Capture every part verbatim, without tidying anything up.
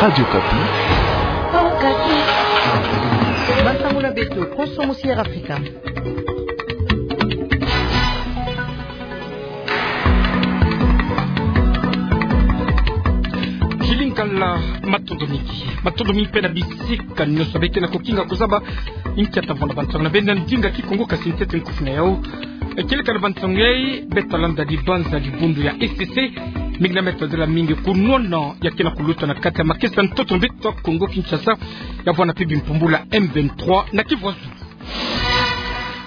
Radio Okapi. Okapi. Bansango na beto, konso musi Air Afrika. Kilikala, matondo mingi. Matondo mingi mpe na bisika nyonso beke na kokinga kozaba inkia tavona bansango na beno na ndinga Kikongo, kasi ntete nkufi na yau. Kilikala bansango yai, beta landa dibanza dibundu ya E C C, mingi na meta dela mingi kunwana ya ke na kuluta na kati ya makesa ntoto na beto Kongo Kinshasa, ya vwanda mpe bimpumbulu ya M vingt-trois na Kivu ya Zulu.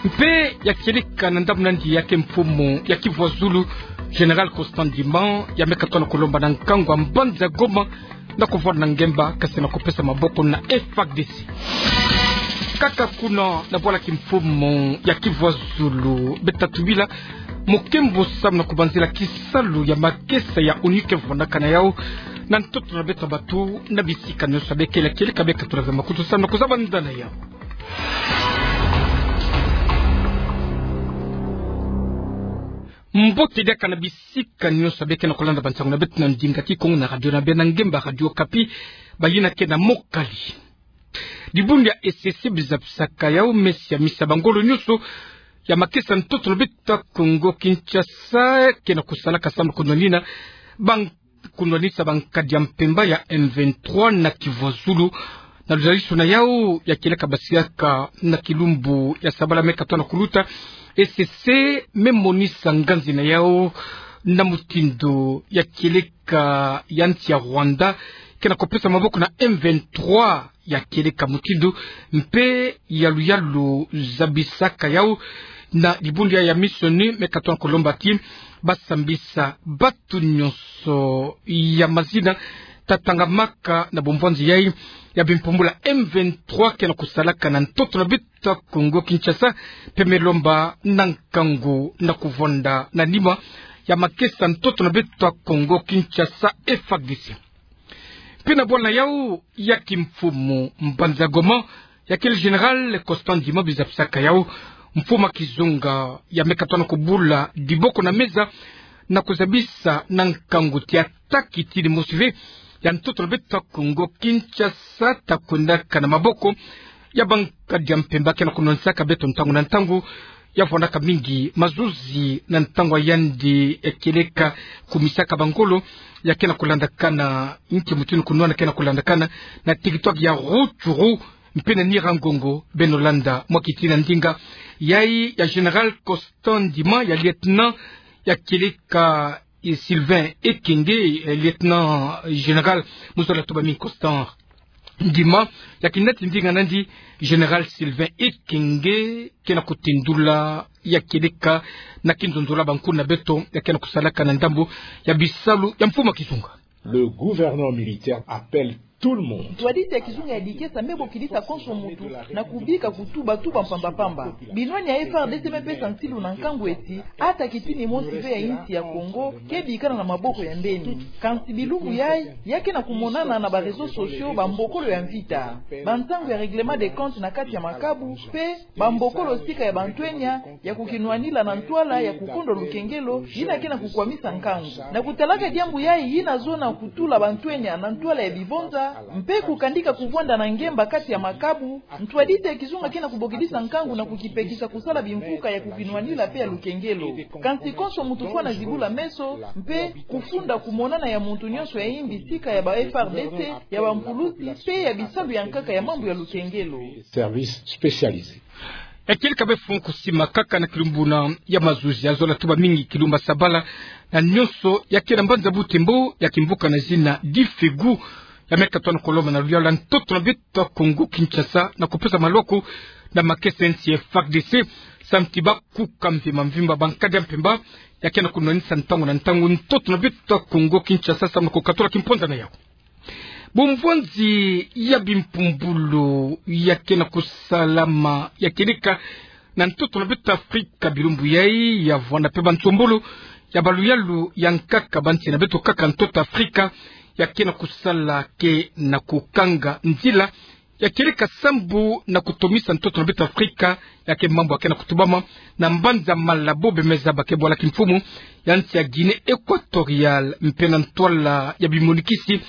Mpe ya kieleka na ndambu na yandi ya ke mfumu ya Kivu ya Zulu, Général Constant Ndima, ya me katona kolomba na nkangu ya mbanza Goma, na kovwanda na ngemba, kasi na kopesa maboko na F A R D C. Kaka kuna na bwala kimfumu ya Kivu ya Zulu, beta tubila mokembo samu na kobanzila kisalu ya makesa ya ONU ke vwandaka na yau na ntoto na beto bantu na bisika nyonso. Beke la kieleka, beka tula ve makutu samu na kozaba nda na yau. Mbote diaka na bisika nyonso beke na kolanda bansango na beto na ndinga Kikongo na radio na beno na ngemba Radio Okapi, bayina ke na Mokali. Dibundu ya E C C bizabisaka yau mesi ya misa bangolo nyonso ya makesa ntoto na beto Kongo Kinshasa ke na kosalaka samu na konwanina ban- konwanisa bankadi ya mpemba ya M vingt-trois na Kivu ya Zulu. Na luzalisu na yau ya kieleka basiaka na kilumbu ya sabala me katona kuluta, E C C me monisa nganzi na yau na mutindu ya kieleka ya nsi ya Rwanda ke na kopesa maboko na M vingt-trois, ya kieleka mutindu mpe ya luyalu zabisaka yau na dibundu ya, ya misi ONU, me katona kolomba ti basambisa batu nyonso ya mazina tatangamaka na bumvwanzi yai ya bimpumbulu ya M vingt-trois ke na kosalaka na ntoto na beto Kongo Kinshasa, mpe me lomba na nkangu na kovwanda na nima ya makesa ntoto na beto Kongo Kinshasa, F A R D C. Mpe na bwala yau ya kimfumu mbanza Goma, ya kele Général Constant Ndima bizabisaka yau, mfumu ya kizunga ya me katona kobula diboko na meza na kozabisa na nkangu ti ata kitini mosi ve ya ntoto na beto Kongo Kinshasa ta kwendaka na maboko ya bankadi ya mpemba ke na konwanisaka beto ntangu na ntangu, ya vwandaka mingi mazuzi na ntangu ya yandi ya kieleka kumisaka bangolo ya ke na kolandakana, inki mutindu kunwana ke na kolandakana na territoire ya Rutshuru mpe na Nyiragongo. Beno landa mwa kitina ndinga yai ya Général Constant Ndima, ya lieutenant ya kieleka, eh, Sylvain Ekenge, eh, lieutenant général, mu zola tuba mi Constant Ndima, ya kinati ndinga na yandi Général Sylvain Ekenge ke na kotendula ya kieleka na kinzonzolo ya bankuna beto ya ke na kosalaka na ndambu ya bisalu ya mfumu ya kizunga. Le gouvernement militaire appelle tout le monde. Ntwadisi ya kizunga ya dikesa me bokidisa konso muntu na kubika kutubatuba mpamba-mpamba. Binwani ya F A R D C me pesa nsilu na nkangu ti ata kitini mosi ve ya insi ya Kongo ke bikana na maboko ya mbeni. Kansi bilumbu yai, ya ke na kumonana na ba réseaux sociaux bambokolo ya mvita, bansangu ya règlement de compte na kati ya makabu, mpe bambokolo sika ya bantwenya ya kukinwanila na ntwala ya kukundwa lukengelo, yina ke na kukwamisa nkangu. Na kutalaka diambu yai, yina zona kutula bantwenya na ntwala ya bibonza, mpe kukandika kuvwanda na ngemba kati ya makabu, ntwadisi ya kizunga ke na kubokidisa nkangu na kukipekisa kusala bimvuka ya kukinwanila mpe ya lukengelo. Kansi konso muntu fwana zibula meso, mpe kufunda kumonana ya muntu nyonso ya imbi sika ya ba F A R D C, ya bampulusi, mpe ya bisalu ya nkaka ya mambu ya lukengelo. Service spécialisé. Ya kieleka be funu kusima kaka na kilumbu na ya mazuzi ya zola tuba mingi kilumbu ya sabala, na nyonso ya ke na mbanza Butembo ya kimvuka na zina Difegu, ya me katona kolomba na luyalu ya ntoto na beto Kongo Kinshasa na kopesa maloko na makesa ya nsi ya F A R D C, samu ti bakuka mvimba mvimba bankadi ya mpemba ya ke na kunwanisa ntangu na ntangu ntoto na beto Kongo Kinshasa samu na kokatula kimponza na yau. Bumvwanzi ya bimpumbulu ya ke na kusalama ya kieleka na ntoto na beto Afrika bilumbu yai, ya vwanda mpe bansombolo ya baluyalu ya nkaka ba nsi na beto kaka ntoto Afrika ya ke na kusala ke na kukanga nzila ya kieleka sambu na kutomisa ntoto na beto Afrika ya ke mambu ya ke na kutubama na mbanza Malabo, be me zaba ke bwala kimfumu ya nsi ya Guinée Équatoriale, mpe na ntwala ya bimonikisi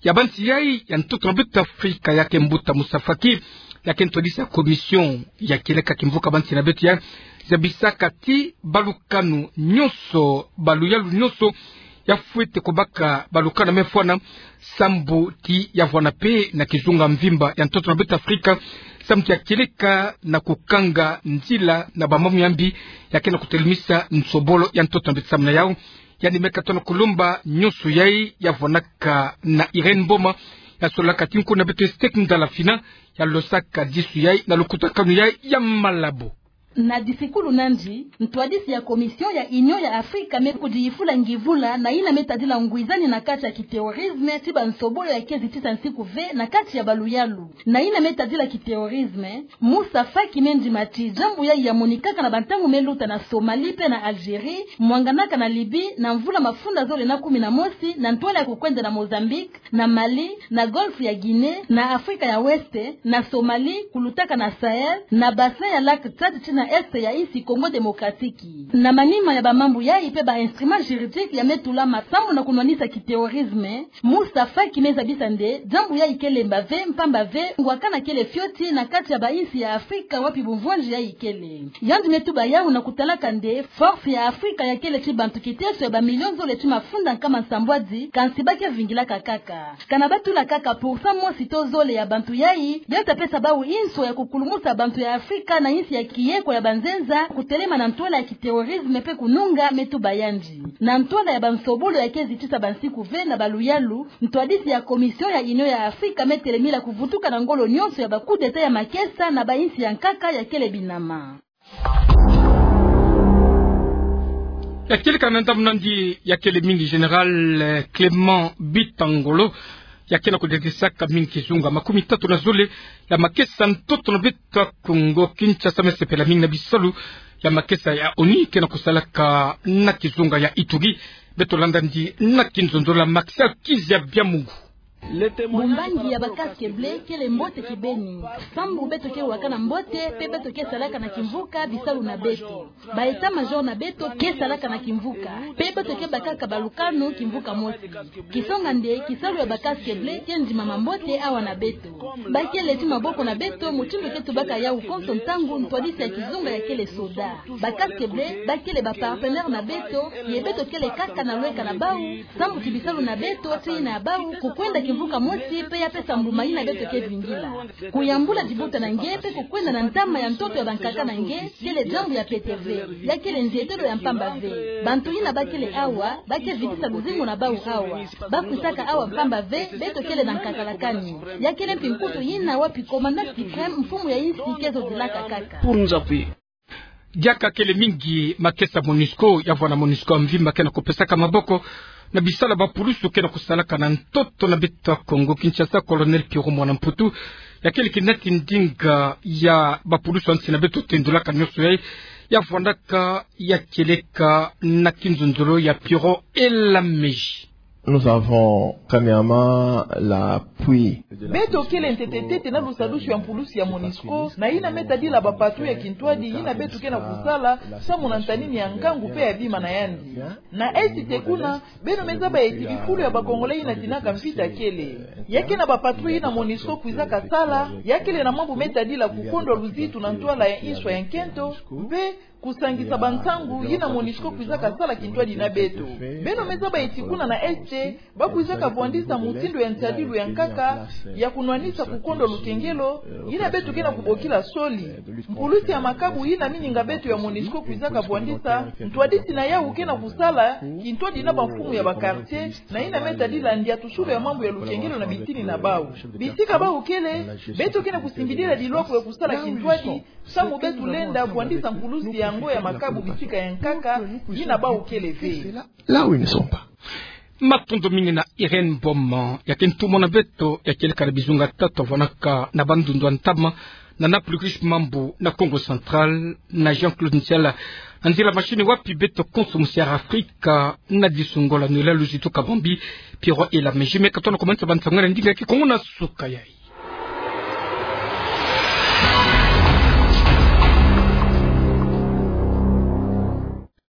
ya banzi yayi ya ntoto na beto Afrika, ya ke mbuta Moussa Faki, ya ke ntwadisi ya commission ya kieleka kimvuka banzi na beto yayi, zabisaka ti balukanu nyonso, baluyalu nyonso, ya fwete kobaka balukanu ya me fwana, sambu ti ya vwana pe na kizunga mvimba ya ntoto na beto Afrika, sambu ti ya kieleka na kukanga nzila na bamambu ya mbi, ya ke na kutelemisa nsobolo ya ntoto na beto. Samu na yau, yandi me katono kulomba nyonso yayi ya vwanaka na Irène Mboma, ya solaka ti nko na beto Estec Ndala Fina, ya losaka disu yayi na lukutakanu yayi ya Malabo. Na disikulu na yandi, ntwadisi ya commission ya Union ya Afrika me kudiyifula ngivula na yina me tadila ngwizani na kati ya kiterrorisme ti bansobolo ya ke zitisa nsiku ve na kati ya baluyalu. Na yina me tadila kiterrorisme, Moussa Faki me ndima ti diambu yayi ya monikaka na bantangu me luta na Somalie pe na Algérie, mwanganaka na Libye na mvula mafunda zole na kumi na mosi na ntwala ya kukwenda na Mozambique, na Mali, na Golfe ya Guinée, na Afrika ya Ouest, na Somalie, kulutaka na Sahel, na bassin ya lac Tchad ti na Est ya insi Congo Démocratique. Na manima ya bamambu yayi pe ba instruments juridiques ya me tulama sambu na kunwanisa kiterrorisme, Moussa Faki me zabisa nde diambu yayi ke lemba ve, mpamba ve ngwakana kele fioti na kati ya bainsi ya Afrika wapi bumvwanzi yayi kele. Yandi me tuba yau na kutalaka nde force ya Afrika ya kele ti bantu kiteso ya bamilio zole ti mafunda nkama nsambwadi, kansi ba ke vingilaka kaka. Kana ba tula kaka pour cent mosi to zole ya bantu yayi, ya ta pesa bau inso ya kukulumusa bantu ya Afrika na insi ya kiyeko ya banzenza, kutelema na ntwala ya kiterrorisme pe kununga, me tuba yandi. Na ntwala ya bansobolo ya ke zitisa bansiku ve na baluyalu, ntwadisi ya commission ya Union ya Afrika me telemila kuvutuka na ngolo nyonso ya ba coup d'État ya makesa na bainsi ya nkaka ya kele binama. Ya kieleka na ndambu na yandi ya kele mingi, Général, eh, Clément Bitangolo, ya ke na kudetisaka mingi kizunga makumi tatu na zole ya makesa ntoto na beto Congo Kinshasa, me sepela mingi na bisalu ya makesa ya ONU ke na kusalaka na kizunga ya Ituri. Beto landa yandi na kinzonzolo ya Martial Kizia Biamungu. Bumbangi ya ba casques bleus kele mbote kibeni. Sambu beto ke waka na mbote, pe beto ke salaka na kimvuka bisalu na beto. Ba état-major na beto ke salaka na kimvuka, pe beto ke bakaka balukanu kimvuka mosi. Kisonga nde, kisalu ya ba casques bleus ke ndimama mbote awa na beto. Ba kele ti maboko na beto, mutindu ke tubaka yau konso ntangu ntwadisi ya kizunga ya kele soda. Ba casques bleus ba kele ba partenaires na beto, ye beto kele kaka na lweka na bau, sambu ti bisalu na beto ti yina ya bau, kukwenda kimvuka mosi pe ya pesa mbuma yina beto ke vingila. Kuyambula dibuta na nge pe kukwenda na ntama ya ntoto ya bankaka na nge, kele diambu ya pete ve, ya kele nzietelo ya mpamba ve. Bantu yina ba kele awa, ba ke vidisa luzingu na bau awa. Ba kwisaka awa mpamba ve, beto kele na nkaka la kani. Ya kele mpi nkutu yina wapi commandant suprême, mfumu ya insi, ke zodilaka kaka. Diaka kele mingi makesa MONUSCO, ya vwana MONUSCO ya mvimba ke na kupesaka maboko na bisalu ya bapulusu ke na kusalaka na ntoto na beto Congo Kinshasa. Colonel Pierrot Mwana Mputu, ya kele kinati ndinga ya bapulusu ya nsi na beto tendulaka nyonso yayi, ya vwandaka ya kieleka na kinzonzolo ya Pierrot Elameji. Nous avons premièrement l'appui de la... Beto kele ntete-ntete na lusadusu ya mpulusi ya MONUSCO, na yina me tadila ba patrouille ya kintwadi yina beto ke na kusala, samu na ntanini ya ngangu pe ya bima na yandi. Na Est kuna, beno me zaba eti bifulu ya ba Congolais yina tinaka mvita kele. Ya ke na ba patrouille yina MONUSCO kwizaka sala, ya kele na mambu me tadila kukondwa luzitu na ntwala ya inswa ya nkento, mpe kusangisa bansangu yina MONUSCO kwizaka sala kintwadi na beto. Beno me zaba eti kuna na Est, ba kwizaka vwandisa mutindu ya nsadilu ya nkaka ya kunwanisa kukondwa lukengelo, yina beto ke na kubokila soli. Mpulusi ya makabu yina mininga beto ya MONUSCO kwizaka vwandisa, ntwadisi na yau ke na kusala kintwadi na bamfumu ya ba quartier, na yina me tadila ndiatusulu ya mambu ya lukengelo na bitini na bau. Bisika bau kele, beto ke na kusimbidila dilwako ya kusala kintwadi, samu beto lenda vwandisa mpulusi yango ya makabu bisika ya nkaka yina bau kele ve. Là où ils ne sont pas. Matondo mingi na Irène Mboma. Ya ke ntumwa na beto ya kieleka na bizunga tatu ya vwanaka na bandundu ya ntama na Napluris Mambu na Kongo Central, na Jean-Claude Nsiala na nzila machine, wapi beto konso musi ya Afrika na disungola nula luzitu kabambi, Pierrot Elameji me katono kumanisa bansangu na ndinga ya Kikongo na suka yayi.